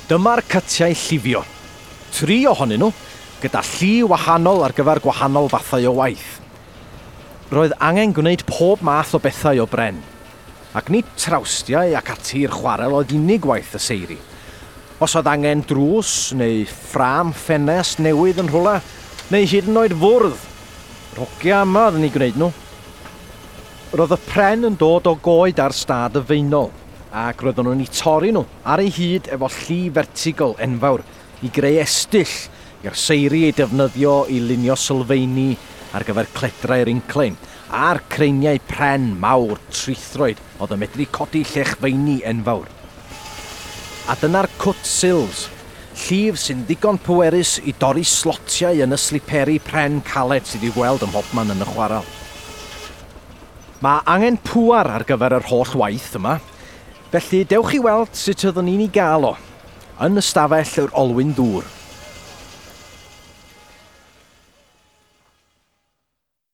Dyma'r cytiau llifio. Tri ohonyn nhw, gyda lli wahanol ar gyfer gwahanol fathau o waith. Roedd angen gwneud pob math o bethau o bren. Ac nid trawstiau ac ati i'r chwarel oedd unig waith y seiri. Os oedd angen drws neu ffrâm ffenest newydd yn rhywle, neu hyd yn oed fwrdd, rogia yma oedd yn ei gwneud nhw. Roedd y pren yn dod o goed ar stad y Faenol, ac roeddwn nhw'n eu torri nhw ar ei hyd efo lli fertigol enfawr i greu estyll i'r seiri ei defnyddio i lunio sylfeini ar gyfer cledrau'r inclein a'r creiniau pren mawr trithroed oedd yn medru codi llechfeini enfawr. A dyna'r cwt sills, llif sy'n ddigon pwerus i dorri slotiau yn y sliperi pren caled sydd i'w gweld ym mhobman yn y chwarel. Mae angen pŵar ar gyfer yr holl waith yma, felly dewch i weld sut oeddwn ni'n ei gael o, yn ystafell yr olwyn ddŵr.